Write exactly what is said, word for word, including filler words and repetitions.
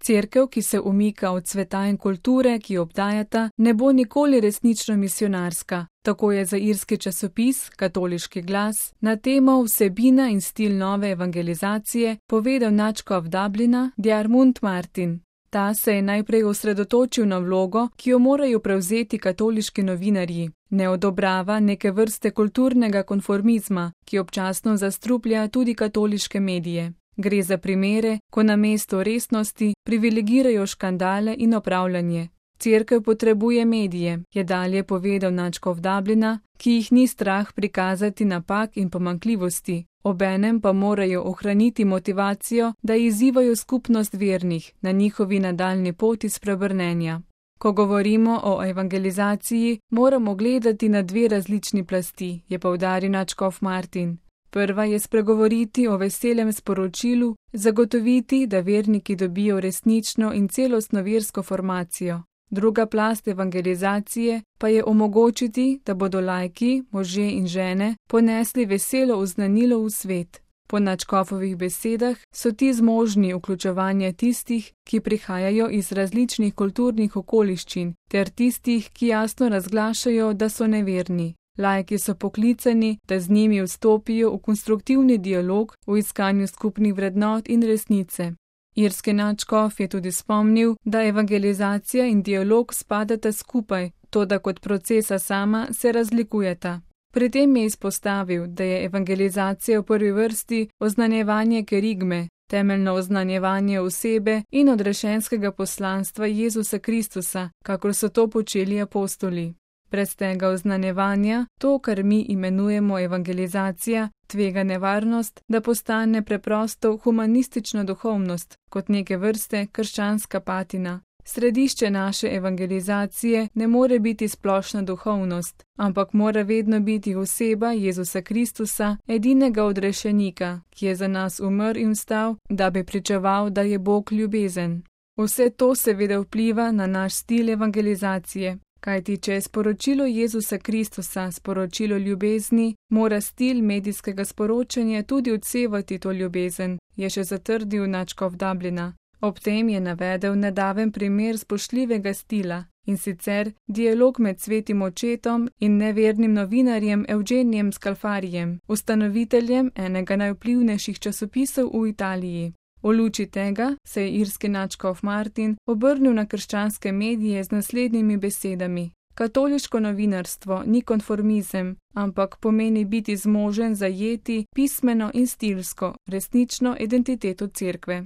Cerkev, ki se umika od sveta in kulture, ki jo obdajata, ne bo nikoli resnično misionarska. Tako je za irski časopis Katoliški glas na temo vsebina in stil nove evangelizacije povedal nadškof Dublina Diarmuid Martin. Ta se je najprej osredotočil na vlogo, ki jo morajo prevzeti katoliški novinarji. Ne odobrava neke vrste kulturnega konformizma, ki občasno zastruplja tudi katoliške medije. Gre za primere, ko namesto resnosti privilegirajo škandale in opravljanje. Cerkev potrebuje medije, je dalje povedal nadškof Dublina, ki jih ni strah prikazati napak in pomanjkljivosti. Obenem pa morajo ohraniti motivacijo, da izzivajo skupnost vernih na njihovi nadaljnji poti spreobrnenja. Ko govorimo o evangelizaciji, moramo gledati na dve različni plasti, je poudaril nadškof Martin. Prva je spregovoriti o veselem sporočilu, zagotoviti, da verniki dobijo resnično in celostno versko formacijo. Druga plast evangelizacije pa je omogočiti, da bodo laiki, možje in žene, ponesli veselo oznanilo v svet. Po nadškofovih besedah so ti zmožni vključevanja tistih, ki prihajajo iz različnih kulturnih okoliščin, ter tistih, ki jasno razglašajo, da so neverni. Laiki so poklicani, da z njimi vstopijo v konstruktivni dialog v iskanju skupnih vrednot in resnice. Irski nadškof je tudi spomnil, da evangelizacija in dialog spadata skupaj, toda kot procesa sama se razlikujeta. Pri tem je izpostavil, da je evangelizacija v prvi vrsti oznanjevanje kerigme, temeljno oznanjevanje osebe in odrešenskega poslanstva Jezusa Kristusa, kakor so to počeli apostoli. Brez tega oznanjevanja, to, kar mi imenujemo evangelizacija, tvega nevarnost, da postane preprosto humanistična duhovnost, kot neke vrste krščanska patina. Središče naše evangelizacije ne more biti splošna duhovnost, ampak mora vedno biti oseba Jezusa Kristusa, edinega odrešenika, ki je za nas umrl in vstal, da bi pričeval, da je Bog ljubezen. Vse to seveda vpliva na naš stil evangelizacije. Kajti, če je sporočilo Jezusa Kristusa sporočilo ljubezni, mora stil medijskega sporočanja tudi odsevati to ljubezen, je še zatrdil nadškof Dublina. Ob tem je navedel nedaven primer spoštljivega stila, in sicer dialog med svetim očetom in nevernim novinarjem Eugenijem Scalfarijem, ustanoviteljem enega najvplivnejših časopisov v Italiji. V luči tega se je irski nadškof Martin obrnil na krščanske medije z naslednjimi besedami. Katoliško novinarstvo ni konformizem, ampak pomeni biti zmožen zajeti pismeno in stilsko resnično identiteto cerkve.